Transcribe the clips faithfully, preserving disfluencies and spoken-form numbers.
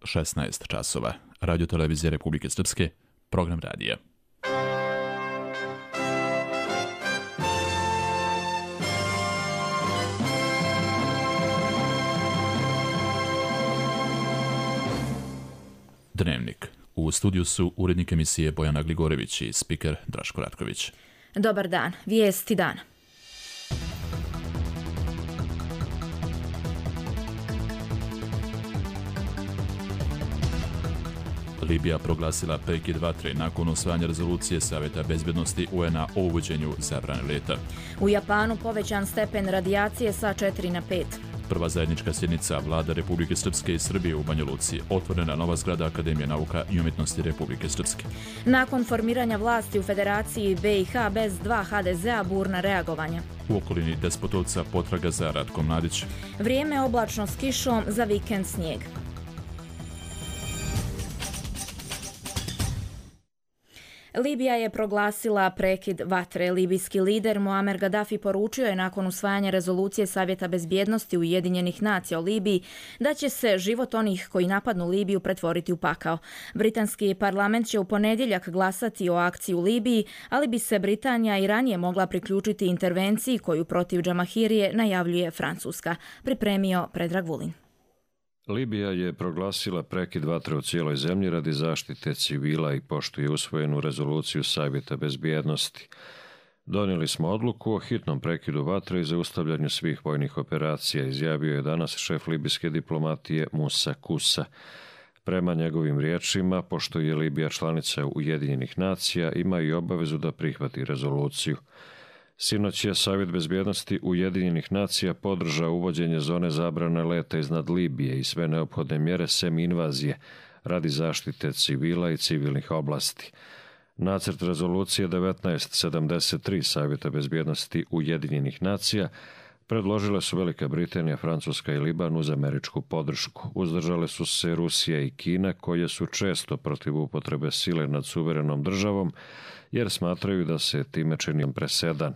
šesnaest časova. Radio televizija Republike Srpske, program radija. Dnevnik. U studiju su urednik emisije Bojana Gligorević i spiker Draško Ratković. Dobar dan. Vijesti dana. Libija proglasila prekid vatre nakon usvajanja rezolucije Savjeta bezbjednosti U N-a o uvođenju zabrane leta. U Japanu povećan stepen radijacije sa četiri na pet. Prva zajednička sjednica Vlada Republike Srpske i Srbije u Banja Luci. Otvorena nova zgrada Akademije nauka i umjetnosti Republike Srpske. Nakon formiranja vlasti u Federaciji B i H bez dva H D Z-a burna reagovanja. U okolini Despotovca potraga za Ratkom Mladić. Vrijeme oblačno s kišom, za vikend snijeg. Libija je proglasila prekid vatre. Libijski lider Muamer Gaddafi poručio je nakon usvajanja rezolucije Savjeta bezbjednosti Ujedinjenih nacija o Libiji da će se život onih koji napadnu Libiju pretvoriti u pakao. Britanski parlament će u ponedjeljak glasati o akciji u Libiji, ali bi se Britanija i ranije mogla priključiti intervenciji koju protiv Džamahirije najavljuje Francuska. Pripremio Predrag Vulin. Libija je proglasila prekid vatre u cijeloj zemlji radi zaštite civila i poštuje usvojenu rezoluciju Savjeta bezbjednosti. Donijeli smo odluku o hitnom prekidu vatre i zaustavljanju svih vojnih operacija, izjavio je danas šef libijske diplomatije Musa Kusa. Prema njegovim riječima, pošto je Libija članica Ujedinjenih nacija, ima i obavezu da prihvati rezoluciju. Sinoć je Savjet bezbjednosti Ujedinjenih nacija podržao uvođenje zone zabrane leta iznad Libije i sve neophodne mjere sem invazije radi zaštite civila i civilnih oblasti. Nacrt rezolucije devetnaest sedamdeset tri Savjeta bezbjednosti Ujedinjenih nacija predložile su Velika Britanija, Francuska i Liban uz američku podršku. Uzdržale su se Rusija i Kina, koje su često protiv upotrebe sile nad suverenom državom, jer smatraju da se time čini presedan.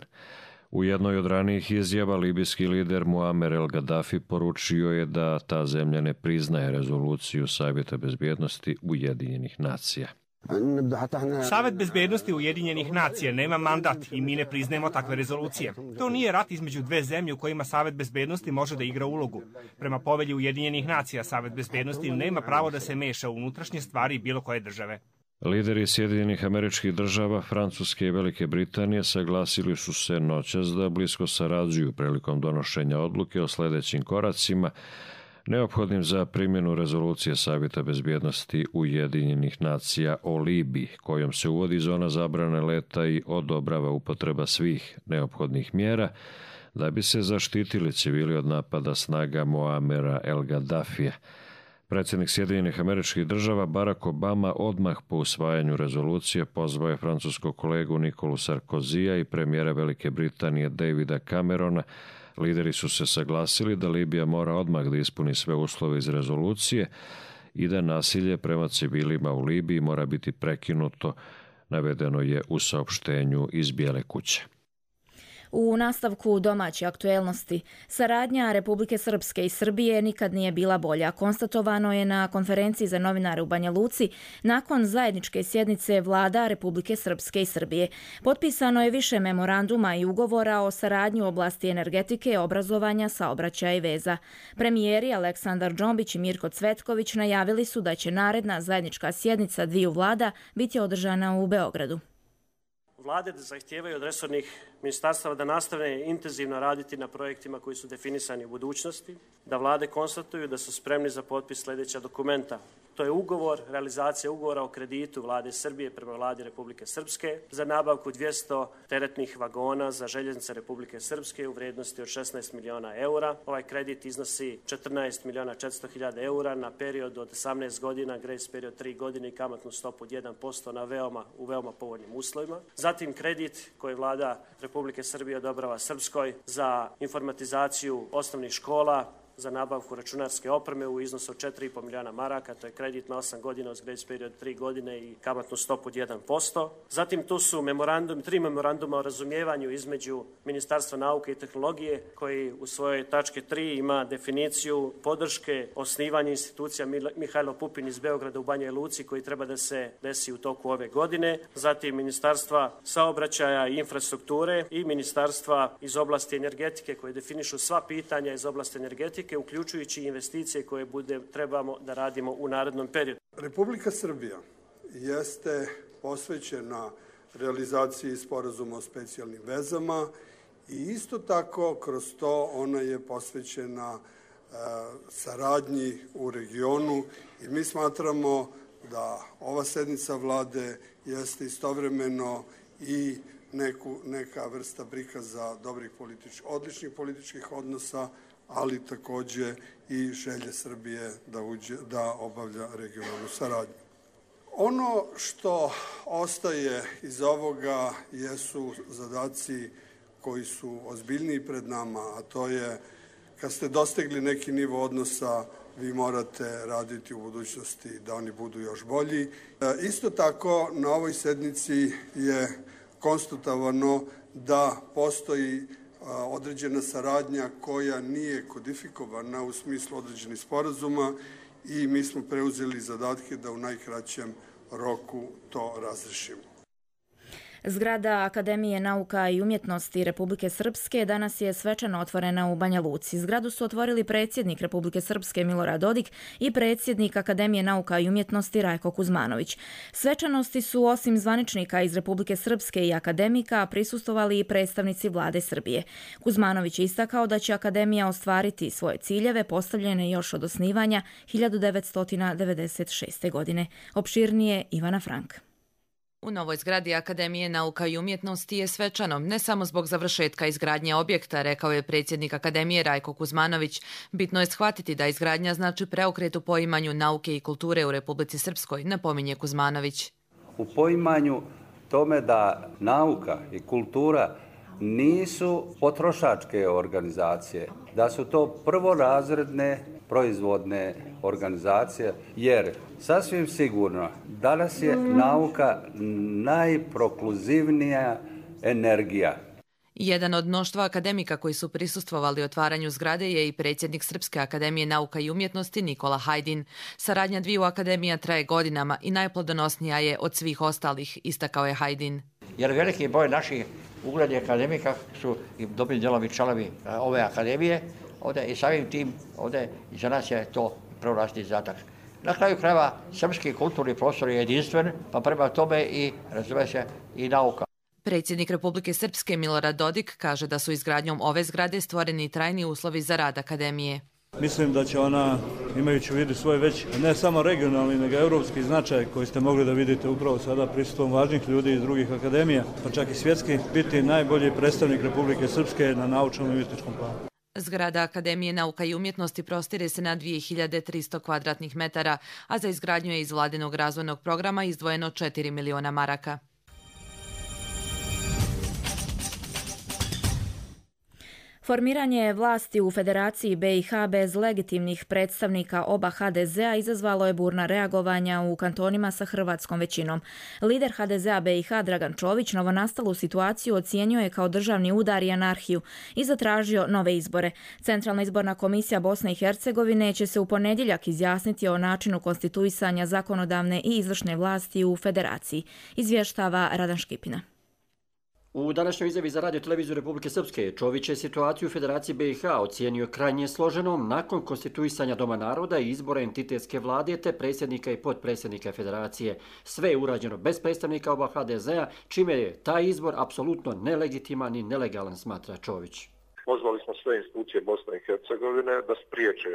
U jednoj od ranijih izjava libijski lider Muamer el Gaddafi poručio je da ta zemlja ne priznaje rezoluciju Savjeta bezbjednosti Ujedinjenih nacija. Savet bezbednosti Ujedinjenih nacija nema mandat i mi ne priznajemo takve rezolucije. To nije rat između dve zemlje u kojima Savet bezbednosti može da igra ulogu. Prema povelji Ujedinjenih nacija, Savet bezbednosti nema pravo da se meša u unutrašnje stvari bilo koje države. Lideri Sjedinjenih Američkih Država, Francuske i Velike Britanije saglasili su se noćas da blisko sarađuju prilikom donošenja odluke o sljedećim koracima neophodnim za primjenu rezolucije Savjeta bezbjednosti Ujedinjenih nacija o Libiji, kojom se uvodi zona zabrane leta i odobrava upotreba svih neophodnih mjera da bi se zaštitili civili od napada snaga Muamera el Gaddafija. Predsjednik Sjedinjenih Američkih Država Barack Obama odmah po usvajanju rezolucije pozvao je francuskog kolegu Nikolu Sarkozija i premijera Velike Britanije Davida Camerona. Lideri su se saglasili da Libija mora odmah da ispuni sve uslove iz rezolucije i da nasilje prema civilima u Libiji mora biti prekinuto, navedeno je u saopštenju iz Bijele kuće. U nastavku domaće aktuelnosti, saradnja Republike Srpske i Srbije nikad nije bila bolja. Konstatovano je na konferenciji za novinare u Banja Luci nakon zajedničke sjednice vlada Republike Srpske i Srbije. Potpisano je više memoranduma i ugovora o saradnji u oblasti energetike, obrazovanja, saobraćaja i veza. Premijeri Aleksandar Džombić i Mirko Cvetković najavili su da će naredna zajednička sjednica dviju vlada biti održana u Beogradu. Vlade zahtijevaju od resornih ministarstava da nastave intenzivno raditi na projektima koji su definisani u budućnosti, da vlade konstatuju da su spremni za potpis sljedeća dokumenta. To je ugovor, realizacija ugovora o kreditu vlade Srbije prema vladi Republike Srpske za nabavku dvjesto teretnih vagona za željeznice Republike Srpske u vrijednosti od šesnaest miliona eura. Ovaj kredit iznosi četrnaest miliona četiristo hiljada eura na period od osamnaest godina, grace period tri godine i kamatnu stopu od jedan posto na veoma, u veoma povoljnim uslovima. Zatim kredit koji vlada Republike Srbije odobrava Srpskoj za informatizaciju osnovnih škola, za nabavku računarske opreme u iznosu od četiri i po milijuna maraka, to je kredit na osam godina uz grace period tri godine i kamatnu stopu od jedan posto. Zatim tu su memorandum, tri memoranduma o razumijevanju između Ministarstva nauke i tehnologije koji u svojoj tačke tri ima definiciju podrške osnivanju institucija Mihajlo Pupin iz Beograda u Banja Luci koji treba da se desi u toku ove godine. Zatim Ministarstva saobraćaja i infrastrukture i Ministarstva iz oblasti energetike koje definišu sva pitanja iz oblasti energetike, uključujući investicije koje bude, trebamo da radimo u narednom periodu. Republika Srbija jeste posvećena realizaciji sporazuma o specijalnim vezama i isto tako kroz to ona je posvećena e, saradnji u regionu i mi smatramo da ova sednica vlade jeste istovremeno i neku, neka vrsta prikaza dobrih političkih, odličnih političkih odnosa, ali takođe i želje Srbije da, uđe, da obavlja regionalnu saradnju. Ono što ostaje iz ovoga jesu zadaci koji su ozbiljniji pred nama, a to je kad ste dostigli neki nivo odnosa, vi morate raditi u budućnosti da oni budu još bolji. Isto tako, na ovoj sednici je konstatovano da postoji određena saradnja koja nije kodifikovana u smislu određenih sporazuma i mi smo preuzeli zadatke da u najkraćem roku to razrešimo. Zgrada Akademije nauka i umjetnosti Republike Srpske danas je svečano otvorena u Banja Luci. Zgradu su otvorili predsjednik Republike Srpske Milorad Dodik i predsjednik Akademije nauka i umjetnosti Rajko Kuzmanović. Svečanosti su osim zvaničnika iz Republike Srpske i akademika prisustvovali i predstavnici vlade Srbije. Kuzmanović je istakao da će Akademija ostvariti svoje ciljeve postavljene još od osnivanja hiljadu devetsto devedeset šeste. godine. Opširnije Ivana Frank. U novoj zgradi Akademije nauka i umjetnosti je svečano, ne samo zbog završetka izgradnje objekta, rekao je predsjednik Akademije Rajko Kuzmanović. Bitno je shvatiti da izgradnja znači preokret u poimanju nauke i kulture u Republici Srpskoj, napominje Kuzmanović. U poimanju tome da nauka i kultura nisu potrošačke organizacije, da su to prvorazredne proizvodne organizacije, jer sasvim sigurno danas je nauka najprokluzivnija energija. Jedan od mnoštva akademika koji su prisustvovali otvaranju zgrade je i predsjednik Srpske akademije nauka i umjetnosti Nikola Hajdin. Saradnja dviju akademija traje godinama i najplodonosnija je od svih ostalih, istakao je Hajdin. Jer veliki broj naših uglednih akademika su i dobri djelovi članovi ove akademije ovdje i samim tim ovdje za nas je to prvorazredni zadatak. Na kraju krajeva srpski kulturni prostor je jedinstven, pa prema tome i razume se i nauka. Predsjednik Republike Srpske Milorad Dodik kaže da su izgradnjom ove zgrade stvoreni trajni uslovi za rad akademije. Mislim da će ona, imajući u vidu svoj već ne samo regionalni, nego europski značaj koji ste mogli da vidite upravo sada prisustvom važnih ljudi iz drugih akademija, pa čak i svjetski, biti najbolji predstavnik Republike Srpske na naučnom i umjetničkom planu. Zgrada Akademije nauka i umjetnosti prostire se na dvije hiljade tristo kvadratnih metara, a za izgradnju je iz vladinog razvojnog programa izdvojeno četiri miliona maraka. Formiranje vlasti u Federaciji B i H bez legitimnih predstavnika oba ha de zea izazvalo je burna reagovanja u kantonima sa hrvatskom većinom. Lider ha de zea B i ha Dragan Čović novonastalu situaciju ocijenjuje kao državni udar i anarhiju i zatražio nove izbore. Centralna izborna komisija Bosne i Hercegovine će se u ponedjeljak izjasniti o načinu konstituisanja zakonodavne i izvršne vlasti u Federaciji, izvještava Radan Škipina. U današnjoj izjavi za Radio televiziju Republike Srpske Čović je situaciju u Federaciji B i ha ocijenio krajnje složenom nakon konstituisanja Doma naroda i izbora entitetske vlade te predsjednika i potpredsjednika Federacije. Sve je urađeno bez predstavnika oba ha de zea, čime je taj izbor apsolutno nelegitiman i nelegalan, smatra Čović. Pozvali smo sve institucije Bosne i Hercegovine da spriječe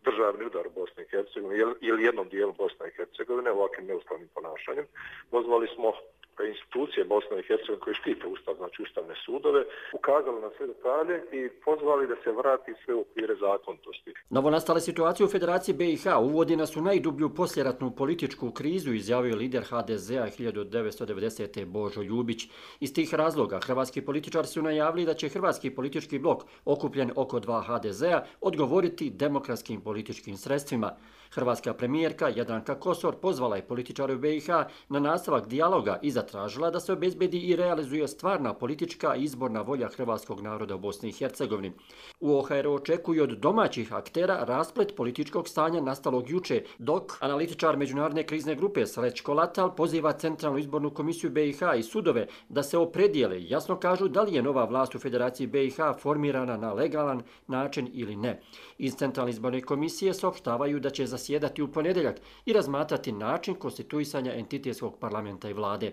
državni udar u Bosni i Hercegovini ili jednom dijelu Bosne i Hercegovine ovakvim neustavnim ponašanjem. Pozvali smo institucije Bosne i Hercegovine koje štite ustav, znači ustavne sudove, ukazali na sve detalje i pozvali da se vrati sve u okvire zakonitosti. Novonastale situacije u Federaciji B i H uvodi nas u najdublju poslijeratnu političku krizu, izjavio je lider H D Z-a hiljadu devetsto devedesete. Božo Ljubić. Iz tih razloga hrvatski političari su najavili da će hrvatski politički blok, okupljen oko dva H D Z-a, odgovoriti demokratskim političkim sredstvima. Hrvatska premijerka Jadranka Kosor pozvala je političare u B i H na nastavak dijaloga i zatražila da se obezbedi i realizuje stvarna politička i izborna volja hrvatskog naroda u Bosni i Hercegovini. U O H R-u očekuju od domaćih aktera rasplet političkog stanja nastalog juče, dok analitičar Međunarodne krizne grupe Srećko Latal poziva Centralnu izbornu komisiju B i H i sudove da se opredijele i jasno kažu da li je nova vlast u Federaciji B i H formirana na legalan način ili ne. Iz Centralne izborne komisije saopštavaju da će zasjedati u ponedjeljak i razmatrati način konstituisanja entitetskog parlamenta i vlade.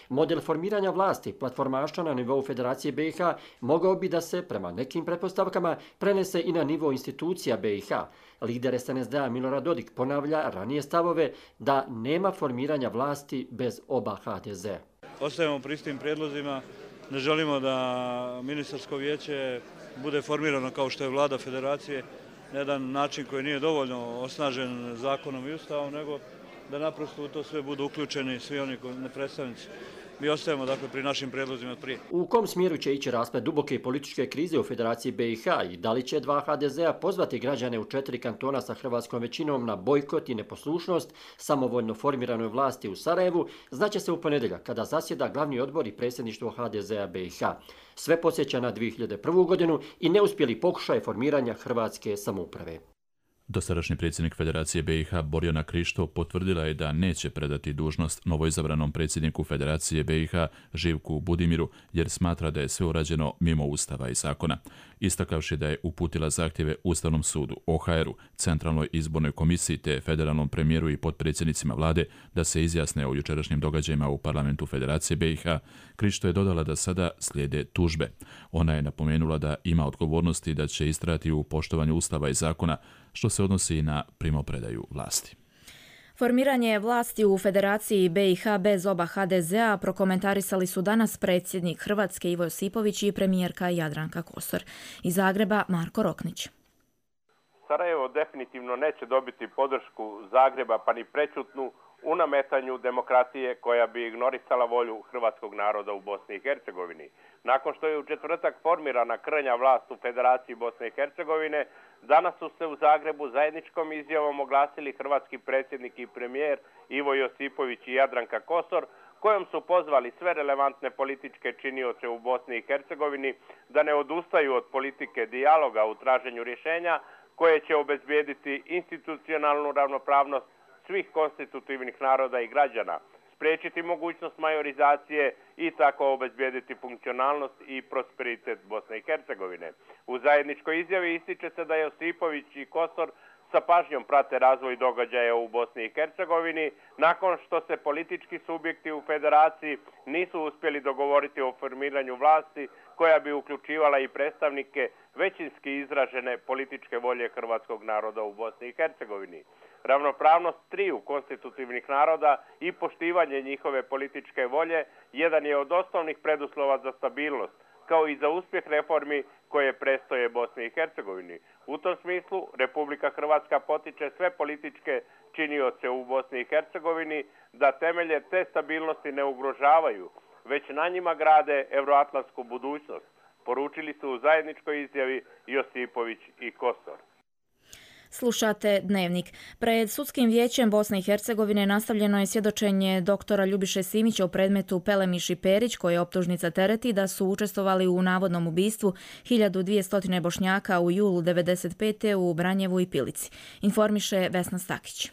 Model formiranja vlasti platformaša na nivou Federacije B i H mogao bi da se, prema nekim pretpostavkama, prenese i na nivo institucija B i H. Lider S N S D-a Milorad Dodik ponavlja ranije stavove da nema formiranja vlasti bez oba H D Z. Ostajemo pri istim prijedlozima. Ne želimo da ministarsko vijeće bude formirano kao što je vlada Federacije na jedan način koji nije dovoljno osnažen zakonom i ustavom, nego da naprosto u to sve budu uključeni svi oni predstavnici. Mi ostajemo dakle pri našim prijedlozima od prije. U kom smjeru će ići rasplet duboke političke krize u Federaciji B i H i da li će dva H D Z-a pozvati građane u četiri kantona sa hrvatskom većinom na bojkot i neposlušnost samovoljno formiranoj vlasti u Sarajevu, znaće se u ponedjeljak kada zasjeda glavni odbor i predsjedništvo H D Z-a B i H. Sve podsjeća na dvije hiljade prvu. godinu i neuspjeli pokušaj formiranja hrvatske samouprave. Dosadašnji predsjednik Federacije B i H Borjana Krišto potvrdila je da neće predati dužnost novoizabranom predsjedniku Federacije B i H Živku Budimiru jer smatra da je sve urađeno mimo ustava i zakona. Istakavši da je uputila zahtjeve Ustavnom sudu, O H R-u, Centralnoj izbornoj komisiji te federalnom premijeru i potpredsjednicima vlade da se izjasne o jučerašnjim događajima u parlamentu Federacije B i H, Krišto je dodala da sada slijede tužbe. Ona je napomenula da ima odgovornosti da će istrajati u poštovanju ustava i zakona, što se odnosi i na primopredaju vlasti. Formiranje vlasti u Federaciji B i H bez oba H D Z-a prokomentarisali su danas predsjednik Hrvatske Ivo Josipović i premijerka Jadranka Kosor. Iz Zagreba Marko Roknić. Sarajevo definitivno neće dobiti podršku Zagreba pa ni prećutnu u nametanju demokratije koja bi ignorisala volju hrvatskog naroda u Bosni i Hercegovini. Nakon što je u četvrtak formirana krnja vlast u Federaciji Bosne i Hercegovine, danas su se u Zagrebu zajedničkom izjavom oglasili hrvatski predsjednik i premijer Ivo Josipović i Jadranka Kosor, kojom su pozvali sve relevantne političke činioce u Bosni i Hercegovini da ne odustaju od politike dijaloga u traženju rješenja koje će obezbijediti institucionalnu ravnopravnost svih konstitutivnih naroda i građana, spriječiti mogućnost majorizacije i tako obezbijediti funkcionalnost i prosperitet Bosne i Hercegovine. U zajedničkoj izjavi ističe se da Josipović i Kosor sa pažnjom prate razvoj događaja u Bosni i Hercegovini nakon što se politički subjekti u Federaciji nisu uspjeli dogovoriti o formiranju vlasti koja bi uključivala i predstavnike većinski izražene političke volje hrvatskog naroda u Bosni i Hercegovini. Ravnopravnost triju konstitutivnih naroda i poštivanje njihove političke volje jedan je od osnovnih preduslova za stabilnost, kao i za uspjeh reformi koje prestoje Bosni i Hercegovini. U tom smislu Republika Hrvatska potiče sve političke činioce u Bosni i Hercegovini da temelje te stabilnosti ne ugrožavaju, već na njima grade euroatlantsku budućnost, poručili su u zajedničkoj izjavi Josipović i Kosor. Slušate Dnevnik. Pred Sudskim vijećem Bosne i Hercegovine nastavljeno je svjedočenje doktora Ljubiše Simića u predmetu Pelemiš i Perić, koje optužnica tereti da su učestvovali u navodnom ubistvu hiljadu dvjesto Bošnjaka u julu devedeset pete u Branjevu i Pilici. Informiše Vesna Stakić.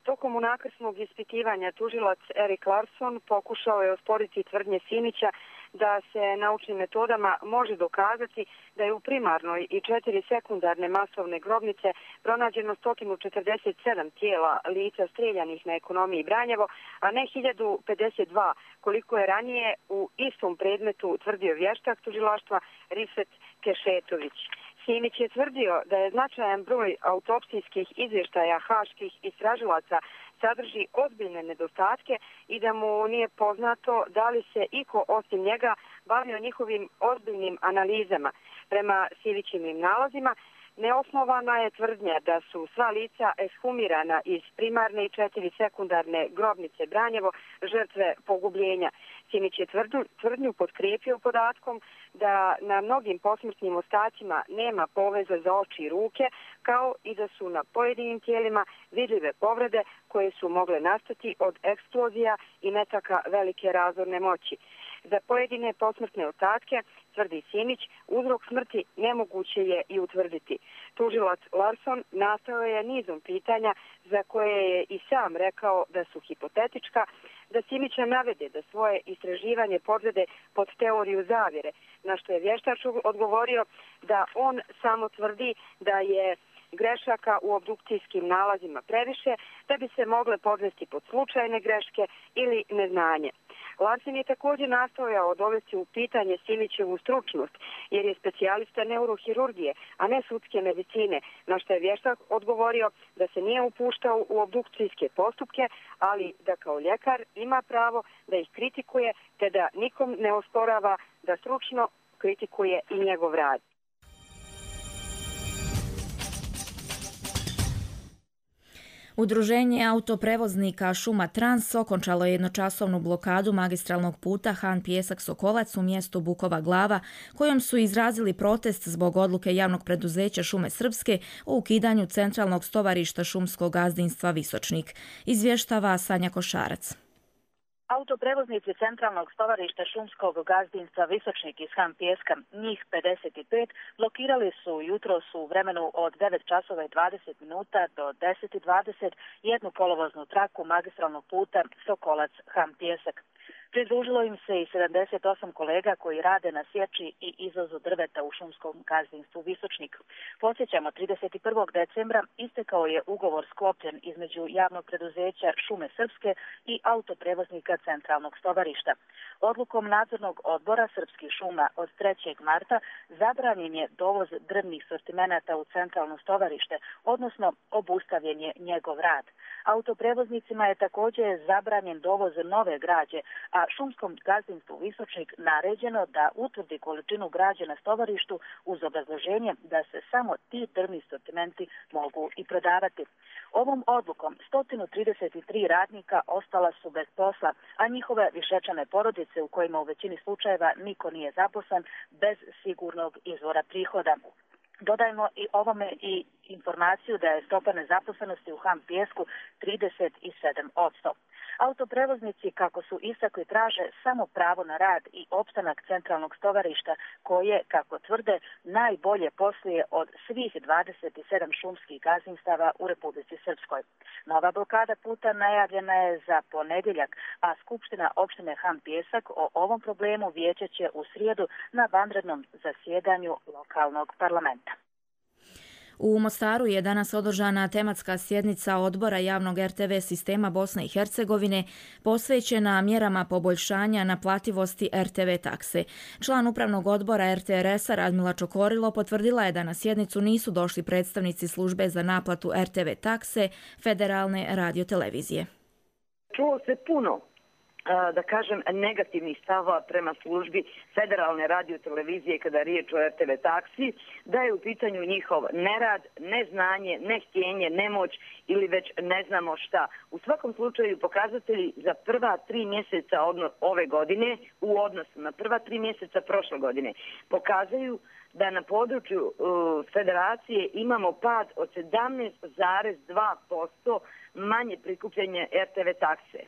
Tokom unakrsnog ispitivanja tužilac Erik Larsson pokušao je osporiti tvrdnje Simića da se naučnim metodama može dokazati da je u primarnoj i četiri sekundarne masovne grobnice pronađeno sto četrdeset sedam tijela lica streljanih na ekonomiji Branjevo, a ne hiljadu pedeset dva, koliko je ranije u istom predmetu tvrdio vještak tužilaštva Rifet Kešetović. Simić je tvrdio da je značajan broj autopsijskih izvještaja haških istražilaca sadrži ozbiljne nedostatke i da mu nije poznato da li se iko osim njega bavio njihovim ozbiljnim analizama. Prema Simićevim nalazima, neosnovana je tvrdnja da su sva lica ekshumirana iz primarne i četiri sekundarne grobnice Branjevo žrtve pogubljenja. Simić je tvrdnju, tvrdnju potkrijepio podatkom da na mnogim posmrtnim ostacima nema poveza za oči i ruke, kao i da su na pojedinim tijelima vidljive povrede koje su mogle nastati od eksplozija i metaka velike razorne moći. Za pojedine posmrtne ostatke, tvrdi Simić, uzrok smrti nemoguće je i utvrditi. Tužilac Larson nastao je nizom pitanja za koje je i sam rekao da su hipotetička, da Simića navede da svoje istraživanje podvede pod teoriju zavjere, na što je vještač odgovorio da on samo tvrdi da je grešaka u obdukcijskim nalazima previše, da bi se mogle podvesti pod slučajne greške ili neznanje. Larsen je također nastojao dovesti u pitanje Simićevu stručnost, jer je specijalista neurohirurgije, a ne sudske medicine, na što je vještak odgovorio da se nije upuštao u obdukcijske postupke, ali da kao ljekar ima pravo da ih kritikuje, te da nikom ne osporava da stručno kritikuje i njegov rad. Udruženje autoprevoznika Šuma Trans okončalo je jednočasovnu blokadu magistralnog puta Han Pijesak-Sokolac u mjestu Bukova Glava, kojom su izrazili protest zbog odluke javnog preduzeća Šume Srpske o ukidanju centralnog stovarišta šumskog gazdinstva Visočnik. Izvještava Sanja Košarac. Autoprevoznici centralnog stovarišta šumskog gazdinstva Visočnik iz Han Pijeska, njih pedeset pet, blokirali su jutros u vremenu od devet časova i dvadeset minuta do deset i dvadeset jednu kolovoznu traku magistralnog puta Sokolac-Han Pijesak. Pridružilo im se i sedamdeset osam kolega koji rade na sječi i izvozu drveta u šumskom gazdinstvu Visočnik. Podsjećamo, trideset prvog decembra istekao je ugovor sklopljen između javnog preduzeća Šume Srpske i autoprevoznika centralnog stovarišta. Odlukom nadzornog odbora Srpskih šuma od trećeg marta zabranjen je dovoz drvnih sortimenata u centralno stovarište, odnosno obustavljen je njegov rad. Autoprevoznicima je također zabranjen dovoz nove građe, a šumskom gazdinstvu Visočnik naređeno da utvrdi količinu građe na stovarištu uz obrazloženje da se samo ti drvni sortimenti mogu i prodavati. Ovom odlukom sto trideset tri radnika ostala su bez posla, a njihove višečane porodice u kojima u većini slučajeva niko nije zaposlen bez sigurnog izvora prihoda. Dodajmo i ovome i informaciju da je stopa nezaposlenosti u Han Pijesku trideset sedam posto. Autoprevoznici, kako su istakli, traže samo pravo na rad i opstanak centralnog stovarišta koje, kako tvrde, najbolje posluje od svih dvadeset sedam šumskih gazdinstava u Republici Srpskoj. Nova blokada puta najavljena je za ponedjeljak, a Skupština opštine Han Pijesak o ovom problemu vijeće će u srijedu na vanrednom zasjedanju lokalnog parlamenta. U Mostaru je danas održana tematska sjednica odbora javnog er te ve sistema Bosne i Hercegovine posvećena mjerama poboljšanja naplativosti er te ve takse. Član upravnog odbora er te er es-a Radmila Čokorilo potvrdila je da na sjednicu nisu došli predstavnici službe za naplatu er te ve takse Federalne radiotelevizije. Čulo se puno, da kažem, negativnih stava prema službi Federalne radiotelevizije kada je riječ o er te ve taksi, da je u pitanju njihov nerad, neznanje, nehtjenje, nemoć ili već ne znamo šta. U svakom slučaju pokazatelji za prva tri mjeseca ove godine u odnosu na prva tri mjeseca prošle godine pokazaju da na području uh, federacije imamo pad od sedamnaest zarez dva posto manje prikupljanje er te ve takse.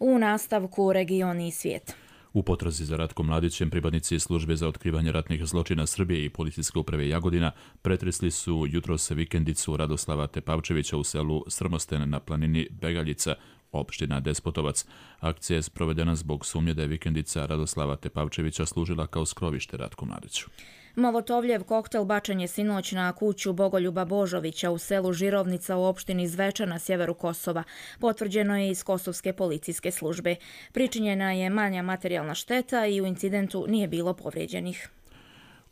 U nastavku Regioni i svijet. U potrazi za Ratkom Mladićem pripadnici službe za otkrivanje ratnih zločina Srbije i policijske uprave Jagodina pretresli su jutros vikendicu Radoslava Tepavčevića u selu Strmosten na planini Begaljica, opština Despotovac. Akcija je sprovedena zbog sumnje da je vikendica Radoslava Tepavčevića služila kao skrovište Ratku Mladiću. Molotovljev koktel bačen je sinoć na kuću Bogoljuba Božovića u selu Žirovnica u opštini Zveča na sjeveru Kosova. Potvrđeno je iz kosovske policijske službe. Pričinjena je manja materijalna šteta i u incidentu nije bilo povrijeđenih.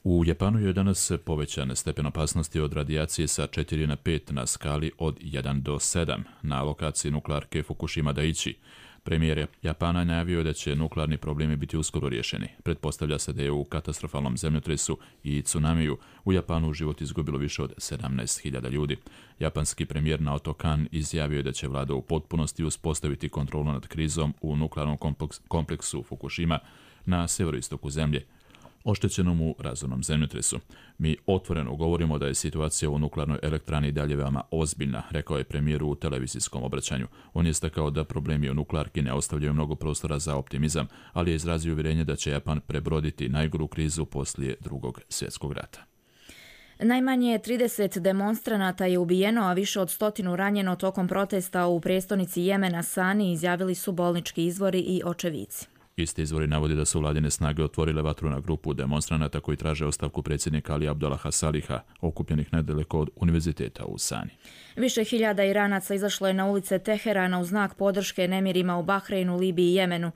U Japanu je danas povećan stepen opasnosti od radijacije sa četiri na pet na skali od jedan do sedam na lokaciji nuklearke Fukushima Daiichi. Premijer Japana najavio da će nuklearni problemi biti uskoro riješeni. Pretpostavlja se da je u katastrofalnom zemljotresu i tsunamiju u Japanu život izgubilo više od sedamnaest hiljada ljudi. Japanski premijer Naoto Kan izjavio je da će vlada u potpunosti uspostaviti kontrolu nad krizom u nuklearnom kompleksu Fukushima na severoistoku zemlje, oštećenom u razornom zemljotresu. Mi otvoreno govorimo da je situacija u nuklearnoj elektrani dalje veoma ozbiljna, rekao je premijer u televizijskom obraćanju. On je istakao da problemi u nuklearki ne ostavljaju mnogo prostora za optimizam, ali je izrazio uvjerenje da će Japan prebroditi najgoru krizu poslije drugog svjetskog rata. Najmanje trideset demonstranata je ubijeno, a više od stotinu ranjeno tokom protesta u prijestolnici Jemena Sani, izjavili su bolnički izvori i očevici. Isti izvori navodi da su vladine snage otvorile vatru na grupu demonstranata koji traže ostavku predsjednika Ali Abdullaha Saliha, okupljenih nedaleko od univerziteta u Sani. Više hiljada Iranaca izašlo je na ulice Teherana u znak podrške nemirima u Bahreinu, Libiji i Jemenu,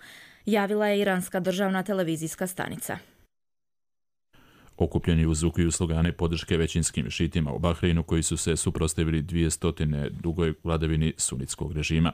javila je iranska državna televizijska stanica. Okupljeni uzvukuju slogane podrške većinskim šitima u Bahreinu koji su se suprotstavili dvije dugoj vladavini sunitskog režima.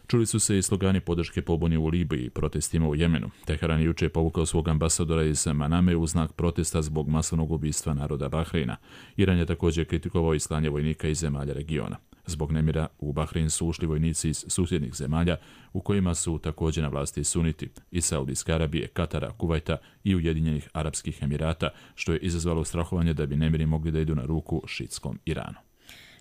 Čuli su se i slogani podrške pobuni u Libiji i protestima u Jemenu. Teheran je jučer povukao svog ambasadora iz Maname u znak protesta zbog masovnog ubistva naroda Bahreina. Iran je također kritikovao i slanje vojnika iz zemalja regiona. Zbog nemira u Bahrein su ušli vojnici iz susjednih zemalja u kojima su također na vlasti suniti iz Saudijske Arabije, Katara, Kuvajta i Ujedinjenih Arapskih Emirata, što je izazvalo strahovanje da bi nemiri mogli da idu na ruku šitskom Iranu.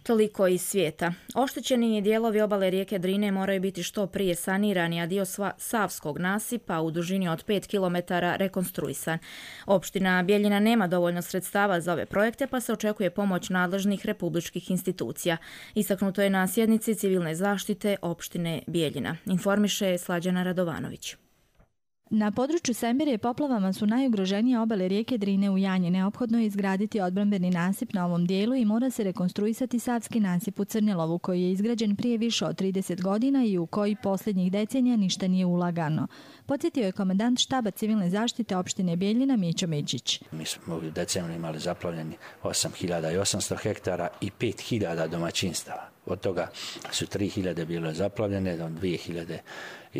Toliko iz svijeta. Oštećeni dijelovi obale rijeke Drine moraju biti što prije sanirani, a dio Savskog nasipa u dužini od pet kilometara rekonstruisan. Opština Bijeljina nema dovoljno sredstava za ove projekte, pa se očekuje pomoć nadležnih republičkih institucija. Istaknuto je na sjednici civilne zaštite opštine Bijeljina. Informiše Slađana Radovanović. Na području Sembirije poplavama su najugroženije obale rijeke Drine u Janji. Neophodno je izgraditi odbrambeni nasip na ovom dijelu i mora se rekonstruisati Savski nasip u Crnjelovu, koji je izgrađen prije više od trideset godina i u koji posljednjih decenija ništa nije ulagano. Podsjetio je komandant štaba civilne zaštite opštine Bijeljina Mićo Mičić. Mi smo u decembru imali zaplavljeni osam hiljada osamsto hektara i pet hiljada domaćinstava. Od toga su tri hiljade bile zaplavljene, dvije hiljade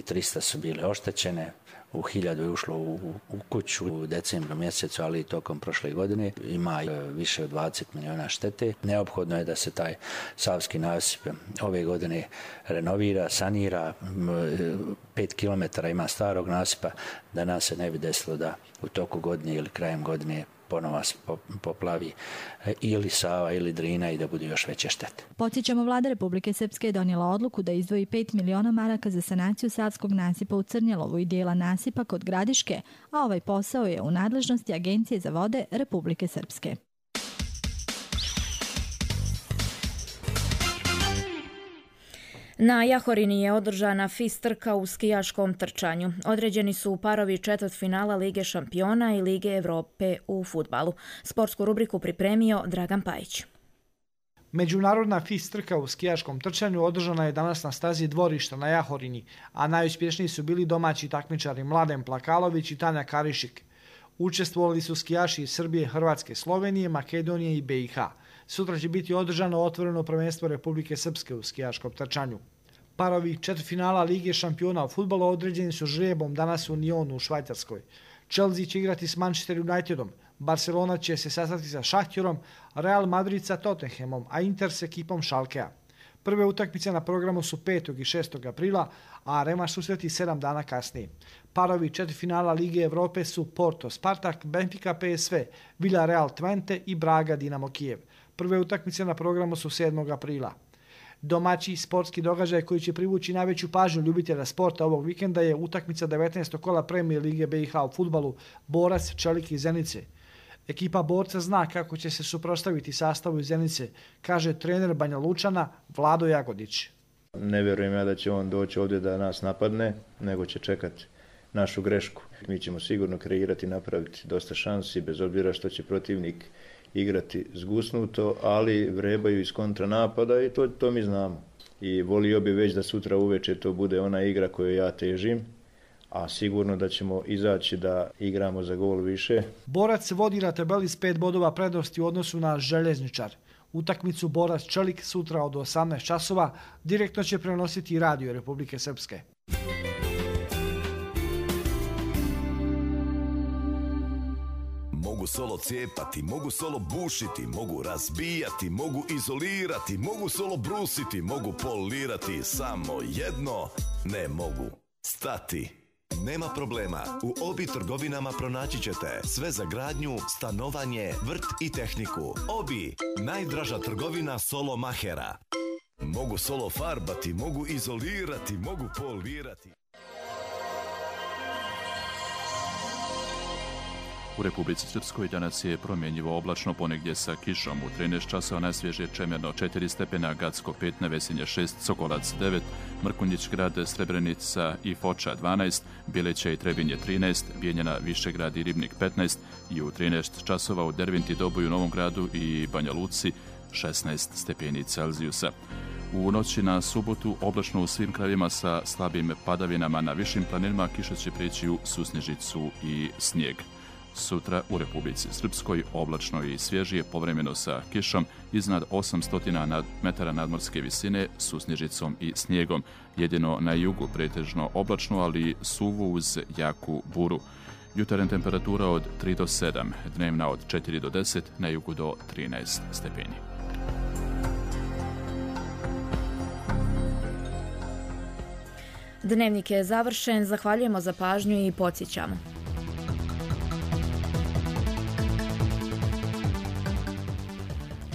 trista su bile oštećene. U hiljadu je ušlo u, u kuću u decembru mjesecu, ali i tokom prošle godine. Ima više od dvadeset milijuna štete. Neophodno je da se taj Savski nasip ove godine renovira, sanira. Pet kilometara ima starog nasipa, da nas se ne bi desilo da u toku godine ili krajem godine ponova se poplavi ili Sava ili Drina i da budu još veće štete. Podsjećamo, vlada Republike Srpske je donijela odluku da izdvoji pet miliona maraka za sanaciju Savskog nasipa u Crnjelovu i dijela nasipa kod Gradiške, a ovaj posao je u nadležnosti Agencije za vode Republike Srpske. Na Jahorini je održana F I S trka u skijaškom trčanju. Određeni su parovi četvrtfinala Lige šampiona i Lige Evrope u fudbalu. Sportsku rubriku pripremio Dragan Pajić. Međunarodna F I S trka u skijaškom trčanju održana je danas na stazi Dvorišta na Jahorini, a najuspješniji su bili domaći takmičari Mladen Plakalović i Tanja Karišik. Učestvovali su skijaši iz Srbije, Hrvatske, Slovenije, Makedonije i B i H. Sutra će biti održano otvoreno prvenstvo Republike Srpske u skijaškom trčanju. Parovi četvrtfinala Lige šampiona u fudbalu određeni su žrebom danas u Nyonu u Švajcarskoj. Chelsea će igrati s Manchester Unitedom, Barcelona će se sastati sa Šahtjorom, Real Madrid sa Tottenhamom, a Inter s ekipom Schalkea. Prve utakmice na programu su petog i šestog aprila, a revanš susreti sedam dana kasnije. Parovi četvrtfinala Lige Evrope su Porto Spartak, Benfica P S V, Villarreal Twente i Braga Dinamo Kijev. Prve utakmice na programu su sedmog aprila. Domaći sportski događaj koji će privući najveću pažnju ljubitelja sporta ovog vikenda je utakmica devetnaestog kola Premijer Lige B i H u fudbalu Borac Čelik iz Zenice. Ekipa Borca zna kako će se suprotstaviti sastavu iz Zenice, kaže trener Banja Lučana Vlado Jagodić. Ne vjerujem ja da će on doći ovdje da nas napadne, nego će čekati našu grešku. Mi ćemo sigurno kreirati i napraviti dosta šansi, bez obzira što će protivnik igrati zgusnuto, ali vrebaju iz kontranapada i to, to mi znamo. I volio bi već da sutra uveče to bude ona igra koju ja težim, a sigurno da ćemo izaći da igramo za gol više. Borac vodi na tabeli s pet bodova prednosti u odnosu na Željezničar. Utakmicu Borac Čelik sutra od osamnaest časova direktno će prenositi Radio Republike Srpske. Mogu solo cijepati, mogu solo bušiti, mogu razbijati, mogu izolirati, mogu solo brusiti, mogu polirati, samo jedno ne mogu stati. Nema problema, u Obi trgovinama pronaći ćete sve za gradnju, stanovanje, vrt i tehniku. Obi, najdraža trgovina solo mahera. Mogu solo farbati, mogu izolirati, mogu polirati. U Republici Srpskoj danas je promjenjivo oblačno, ponegdje sa kišom. U trinaest časova najsvježije Čemerno četiri stepena, Gacko pet, Nevesinje šest, Sokolac devet, Mrkonjić grad, Srebrenica i Foča dvanaest, Bjeleća i Trebinje trinaest, Bijeljina, Višegrad i Ribnik petnaest i u trinaest časova u Dervinti, Doboju, Novom Gradu i Banja Luci šesnaest stepeni Celzijusa. U noći na subotu oblačno u svim krajevima sa slabim padavinama, na višim planinama kiša će prijeći u susnežicu i snijeg. Sutra u Republici Srpskoj oblačno i svježije, povremeno sa kišom iznad osamsto metara nadmorske visine, susnežicom i snijegom. Jedino na jugu pretežno oblačno, ali suvo uz jaku buru. Jutarnja temperatura od tri do sedam, dnevna od četiri do deset, na jugu do trinaest stepeni. Dnevnik je završen, zahvaljujemo za pažnju i podsjećamo.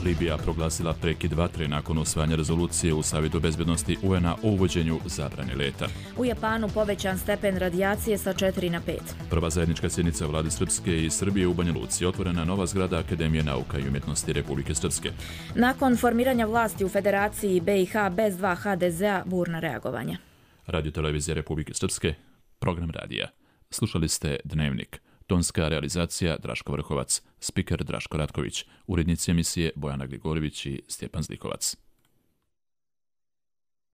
Libija proglasila prekid vatre nakon usvajanja rezolucije u Savjetu bezbednosti U N-a o uvođenju zabrane leta. U Japanu povećan stepen radijacije sa četiri na pet. Prva zajednička sjednica vlade Srpske i Srbije u Banja Luci, otvorena nova zgrada Akademije nauka i umjetnosti Republike Srpske. Nakon formiranja vlasti u Federaciji B i H bez dva H D Z-a, burna reagovanja. Radio Televizija Republike Srpske, program radija. Slušali ste Dnevnik. Tonska realizacija Draško Vrhovac, spiker Draško Ratković, urednici emisije Bojana Grigorjević i Stjepan Zlikovac.